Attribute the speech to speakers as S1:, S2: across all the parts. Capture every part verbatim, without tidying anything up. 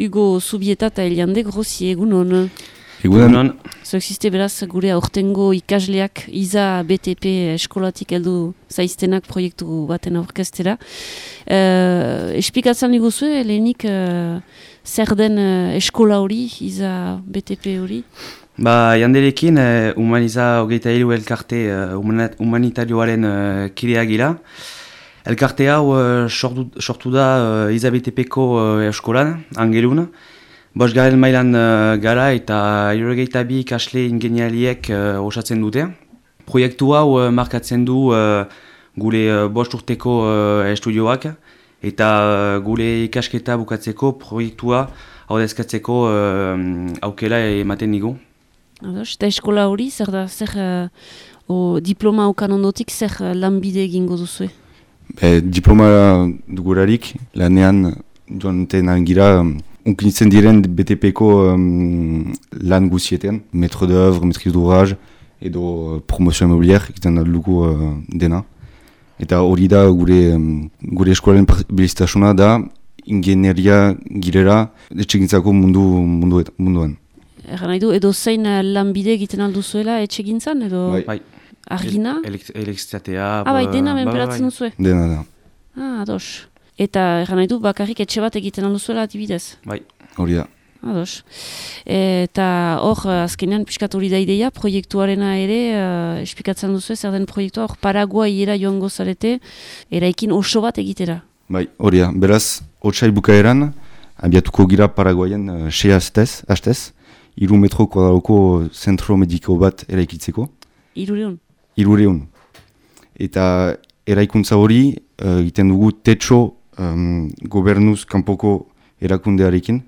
S1: Hugo Zubieta eta Eliande Grossi, egunon.
S2: Egunon.
S1: Zoexiste beraz gure aurtengo ikasleak iza B T P eskolatik heldu zaiztenak proiektu baten aurkeztera. Uh, Espikatzen diguzue, lehenik uh, zer den uh, eskola hori, iza B T P hori?
S2: Ba, janderekin, uh, humaniza hogeita hiru elkarte uh, humanitarioaren uh, kideak gira. Elkarte hau uh, sortu, sortu da uh, iza B T P-ko uh, eskolan, Angelun. Bost garen mailan uh, gara eta hirurogeita bi ikasle ingenialiek uh, osatzen dute. Proiektu hau uh, markatzen du uh, gure uh, bost urteko uh, estudioak eta uh, gure ikasketa bukatzeko proiektua haudezkatzeko uh, aukera ematen digu.
S1: Ados, eta eskola hori, zer da, zer uh, o, diploma okan ondotik, zer uh, lanbide egingo duzue?
S3: Be, diploma dugurarik, lanean joan tenan gira, unkinitzen diren B T P-ko um, lan guzietan, maître d'œuvre, maîtrise d'ouvrage, edo uh, promotion immobilière, egiten dugu uh, dena. Eta hori da gure, um, gure eskolaren berezitasuna da, ingenieria girera, etxegintzako mundu, mundu, munduan.
S1: Erra nahi du, edo zein uh, lanbide egiten alduzuela etxegintzan, edo
S2: Bai.
S1: argina?
S2: Elektrizitatea...
S1: Ah, bai, dena menperatzen duzue?
S3: Dena da.
S1: Ah, ados. Eta erra nahi du, bakarrik etxe bat egiten alduzuela adibidez?
S2: Bai.
S3: Hori da.
S1: Ados. Eta hor, azkenean pixkat hori da ideia, proiektuarena ere, uh, espikatzen duzu zer den proiektua, hor Paraguaiera joango zarete, eraikin oso bat egitera.
S3: Bai, hori da. Beraz, otsai bukaeran, abiatuko gira Paraguaien uh, sei hastez, hastez, hiru metro kuadroko zentro mediko bat eraikitzeko.
S1: Hirureun?
S3: Hirureun. Eta eraikuntza hori, uh, egiten dugu tetxo um, gobernuz kanpoko erakundearekin.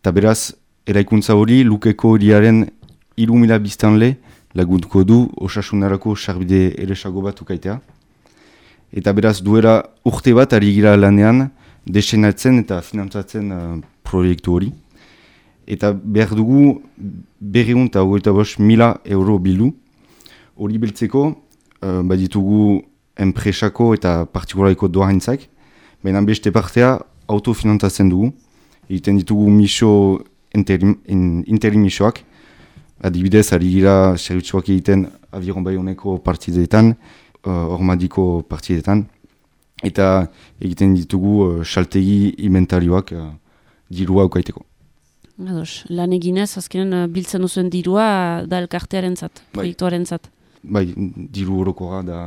S3: Eta beraz, eraikuntza hori lukeko horiaren hiru mila biztanle lagunduko du osasunarako sarbide eresago bat ukaitea. Eta beraz, duela urte bat ari gira lanean desenatzen eta finantzatzen uh, proiektu hori. Eta behar dugu berrehun eta hogeita bost mila euro bildu. Hori biltzeko, uh, baditugu enpresako eta partikulariko doarentzak, baina beste partea autofinantzatzen dugu. Egiten ditugu miso interim, in, interim misoak, adibidez ari gira zerbitzuak egiten Aviron Bayoneko partidetan, uh, Ormadiko partidetan, eta egiten ditugu uh, saltegi inventarioak uh, dirua ukaiteko.
S1: Ados, lan eginez, azkenen uh, biltzen duzuen dirua da elkartearen zat,
S3: Bai.
S1: proiektuaren zat.
S3: Bai, diru horokora da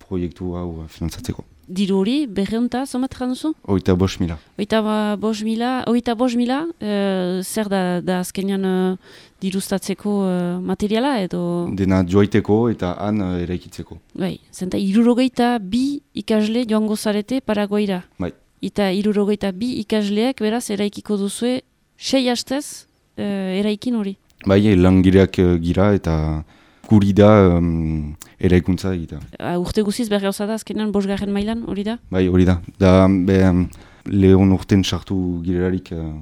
S3: proiektu hau uh, finantzatzeko.
S1: Diru hori, berreunta, zomat jan duzu?
S3: Oita bost mila.
S1: Oita bost mila, oita bost mila, uh, zer da, da azkenean uh, diruztatzeko uh, materiala edo...
S3: Dena joaiteko eta han uh, eraikitzeko.
S1: Bai, zenta irurogeita bi ikasle joango zarete Paraguaira.
S3: Bai.
S1: Eta irurogeita bi ikasleak beraz eraikiko duzue sei hastez uh, eraikin hori.
S3: Bai, langileak uh, gira eta guri da um, eraikuntza egita.
S1: Uh, urte guziz berri hauza da azkenean bosgarren mailan hori da?
S3: Bai, hori da. Da, be, um, lehon urten sartu girelarik uh,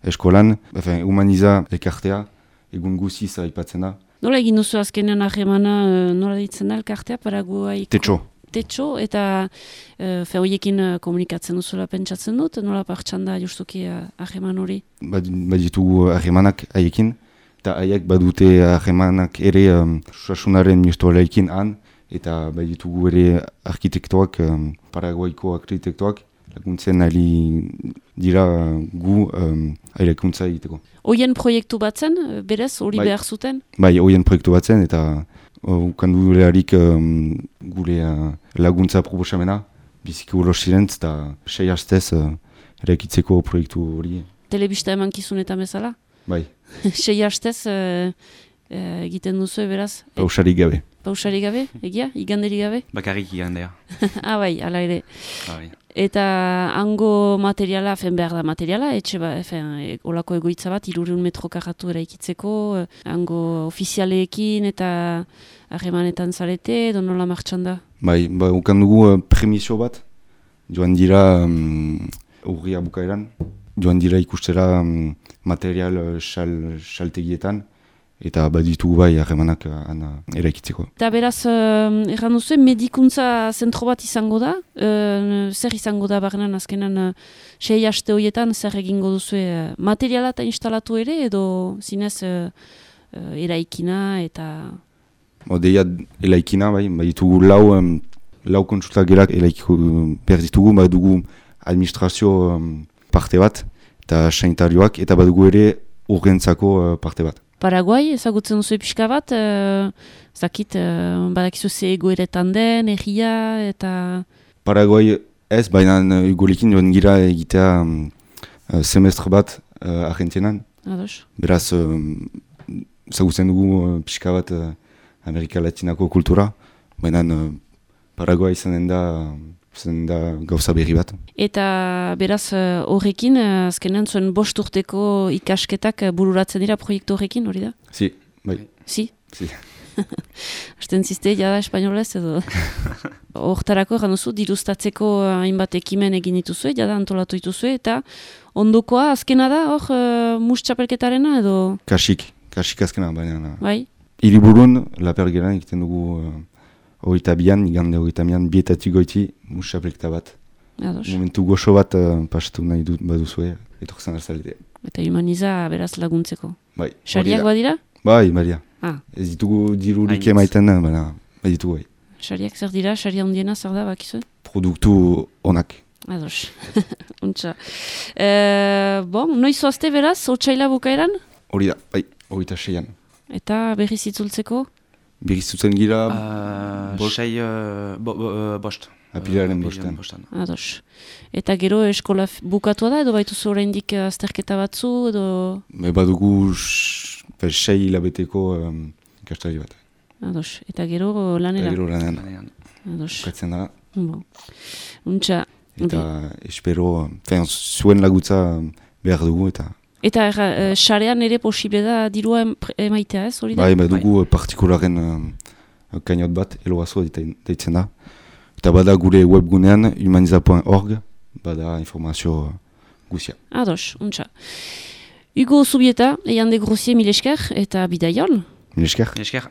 S3: eskolan, Efen, humaniza elkartea, egun guziz aipatzen da.
S1: Nola egin duzu azkenean ahemana, uh, nola ditzen da elkartea Paraguaiko?
S3: Tetxo.
S1: Tetxo, eta uh, fe horiekin uh, komunikatzen duzula pentsatzen dut, nola partxan da justuki uh, aheman hori?
S3: Bad, baditugu ahemanak haiekin, eta haiek badute ahemanak ere um, suasunaren ministroalekin han, eta baditugu ere arkitektoak, um, Paraguaiko arkitektoak, laguntzen ari dira gu um, ailekuntza egiteko.
S1: Hoien proiektu batzen, berez, hori
S3: Bai.
S1: behar zuten?
S3: Bai, hoien proiektu batzen, eta ukandu leharik um, gure uh, laguntza proposamena, biziki ulos zirentz, eta sei hastez uh, eraikitzeko proiektu hori.
S1: Telebista eman kizunetan bezala?
S3: Bai,
S1: Sei hastez uh, uh, egiten duzu beraz?
S3: pausarik gabe.
S1: Pausari gabe, egia? Iganderi gabe?
S2: Bakarrik igandea.
S1: Ah, bai, ala ere.
S2: Bai.
S1: Eta hango materiala, fen behar da materiala, etxe ba, fen, e, olako egoitza bat, hirureun metro karratu eraikitzeko, eh, hango ofizialeekin eta harremanetan zarete, edo nola martxan da?
S3: Bai, ba, ukan dugu uh, premisio bat, joan dira um, urria bukaeran, joan dira ikustera um, material uh, xal, xaltegietan, eta baditugu bai harremanak han eraikitzeko.
S1: Eta beraz, uh, erran duzu, medikuntza zentro bat izango da, uh, zer izango da barrenan azkenan uh, sei haste horietan zer egingo duzu uh, materiala eta instalatu ere edo zinez uh, uh, eraikina eta...
S3: Bo, deia eraikina, bai, baditugu lau, um, lau kontsulta gerak eraikiko behar ditugu, badugu administrazio um, parte bat, eta sanitarioak, eta badugu ere urgentzako uh, parte bat.
S1: Paraguai, ezagutzen duzu pixka bat, uh, zakit, uh, badakizu ze egoeretan den, egia, eta...
S3: Paraguai ez, baina egolekin joan gira egitea um, semestre bat uh, Argentinan.
S1: Ados.
S3: Beraz, um, ezagutzen dugu uh, pixka bat uh, Amerika Latinako kultura, baina uh, Paraguai izanen da... zen da gauza berri bat.
S1: Eta beraz horrekin, uh, azkenean zuen bost urteko ikasketak bururatzen dira proiektu horrekin, hori da?
S3: Si, bai.
S1: Si?
S3: Si.
S1: Asten ziste, jada espainolez edo? Hortarako egan duzu, dirustatzeko hainbat ekimen egin dituzue, jada antolatu dituzue, eta ondokoa azkena da, hor, uh, mus txapelketarena edo?
S3: Kasik, kasik azkena, baina...
S1: Bai?
S3: Hiriburun, Lapergeran egiten dugu... Uh, Hogeita bian, igande hogeita bian, bietatik goiti, musapelketa bat.
S1: Ados.
S3: Momentu goxo bat uh, pasatu nahi dut baduzue, etorzen arzalide.
S1: Eta humaniza beraz laguntzeko.
S3: Bai.
S1: Sariak badira?
S3: Bai, badia.
S1: Ah.
S3: Ez ditugu dirurik emaiten, baina baditugu bai.
S1: Sariak zer dira? Saria hundiena zer da, bakizue?
S3: Produktu onak.
S1: Ados. Untxa. E, bon, noiz oazte beraz, otsaila bukaeran?
S3: Hori da, bai, hogeita seian.
S1: Eta berriz itzultzeko?
S3: Berrizutzen gira...
S2: Uh,
S3: bost.
S2: Sei, uh, bo, bo, uh, bost.
S3: Apilaren
S2: uh,
S3: bostean.
S2: bostan.
S1: Ados. Eta gero eskola bukatua da, edo baituzu oraindik azterketa batzu, edo...
S3: Me badugu sh, sei hilabeteko um, ikastari bat.
S1: Ados. Eta gero lanera?
S3: Eta gero lanean.
S2: Lanean.
S1: Ados.
S3: Bukatzen da.
S1: Bon. Untxa.
S3: Eta espero, fen, zuen lagutza behar dugu eta...
S1: Eta uh, sarean ere posible da dirua emaitea ez, hori da?
S3: Bai, badugu partikularen uh, kainot bat, eloazo deitzen da. Eta bada gure webgunean, humaniza punto org, bada informazio guzia.
S1: Ados, untxa. Hugo Zubieta, eian de Grossier mil esker, eta bidaion.
S3: Mil esker.
S2: Esker.